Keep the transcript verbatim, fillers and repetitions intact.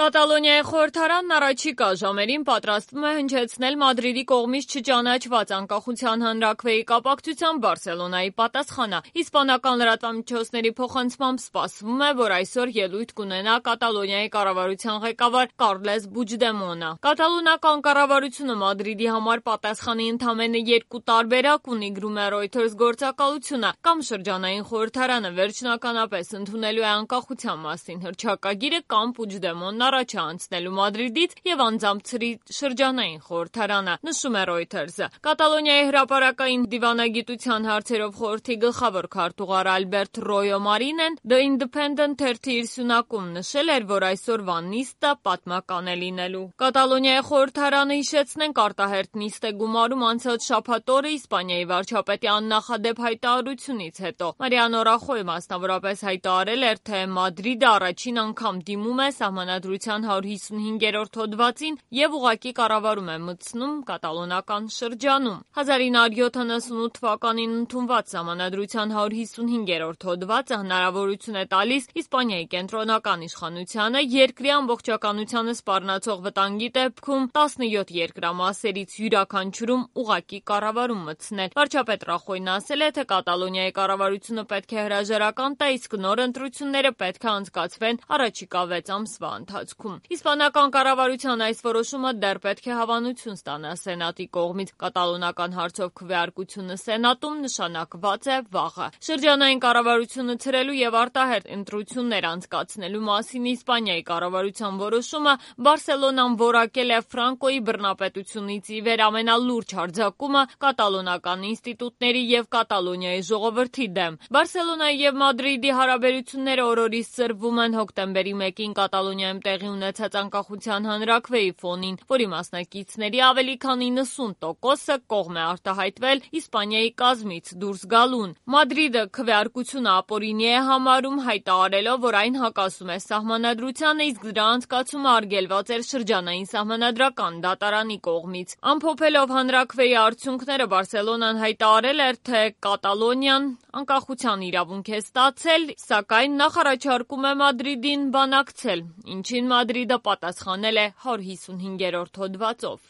Կատալոնիայի խորհրդարանն առաջիկա ժամերին պատրաստվում է հնչեցնել Մադրիդի կողմից չճանաչված անկախության հանրաքվեի կապակցությամբ Բարսելոնայի պատասխանը։ Իսպանական լրատվամիջոցների փոխանցմամբ սպասվում է, որ այսօր ելույթ կունենա Կատալոնիայի կառավարության ղեկավար Կարլես Պուչդեմոնը։ Կատալոնական կառավարությունը Մադրիդի համար պատասխանի ընդամենը երկու տարբերակ ունի, գրում է Reuters գործակալությունը, կամ շրջանային խորհրդարանը վերջնականապես ընդունելու է անկախության մասին հռչակագիրը, կամ Պուչդեմոնն առաջ է անցնելու Մադրիդից եւ անձամբ ցրի շրջանային խորհրդարանը, նշում է Reuters-ը։ Կատալոնիայի հրապարակային դիվանագիտության հարցերով խորհրդի գլխավոր քարտուղար Ալբերտ Ռոյո Մարինեն The Independent թերթի իր սյունակում նշել էր, որ այսօրվա նիստը պատմական է լինելու։ Կատալոնիայի խորհրդարանը, հիշեցնենք, արտահերթ նիստ է գումարում անցած շաբաթ օրը Իսպանիայի վարչապետի աննախադեպ հայտարարությունից հետո։ Մարիանո Ռախոյը մասնավորապես հայտարարել էր, թե Մադրիդը առաջին անգամ դիմում է Սահմանադրության հարյուր հիսունհինգերորդ հոդվածին եւ ուղղակի կառավարում է մտցնում կատալոնական շրջանում։ հազար ինը հարյուր յոթանասունութ թվականին ընդունված Սահմանադրության հարյուր հիսունհինգերորդ հոդվածը հնարավորություն է տալիս Իսպանիայի կենտրոնական իշխանությանը երկրի ամբողջականությանը սպառնացող վտանգի դեպքում տասնյոթ երկրամասերից յուրաքանչյուրում ուղղակի կառավարում մտցնել։ Վարչապետ Ռախոյն ասել է, թե Կատալոնիայի կառավարությունը պետք է հրաժարական տա, իսկ նոր ընտրությունները պետք է անցկացվեն առաջիկա վեց ամսվա ընթացքում։ Իսպանական կառավարության այս որոշումը դեռ պետք է հավանություն ստանա Սենատի կողմից։ Կատալոնական հարցով քվեարկությունը Սենատում նշանակված է վաղը։ Շրջանային կառավարությունը ցրելու եւ արտահերթ ընտրություններ անցկացնելու մասին Իսպանիայի կառավարության որոշումը Բարսելոնան որակել է Ֆրանկոյի բռնապետությունից ի վեր ամենալուրջ հարձակումը կատալոնական ինստիտուտների եւ Կատալոնիայի ժողովրդի դեմ։ Բարսելոնայի եւ Մադրիդի հարաբերությունները օրորից ծրվում են հոկտեմբերի մեկին Կատալոնիայում տեղի ունեցած անկախության հանրաքվեի ֆոնին, որի մասնակիցների ավելի քան իննսուն տոկոսը կողմ է արտահայտվել Իսպանիայի կազմից դուրս գալուն։ Մադրիդը քվեարկությունը ապօրինի է համարում, հայտարարելով, որ այն հակասում է Սահմանադրությանը, իսկ դրա անցկացումը արգելված էր շրջանային Սահմանադրական դատարանի կողմից։ Ամփոփելով հանրաքվեի արդյունքները, Բարսելոնան հայտարարել էր, թե Կատալոնիան անկախության իրավունք է ստացել, սակայն նախ առաջարկում է Մադրիդին բանակցել, ինչին Մադրիդը պատասխանել է հարյուր հիսունհինգերորդ հոդվածով։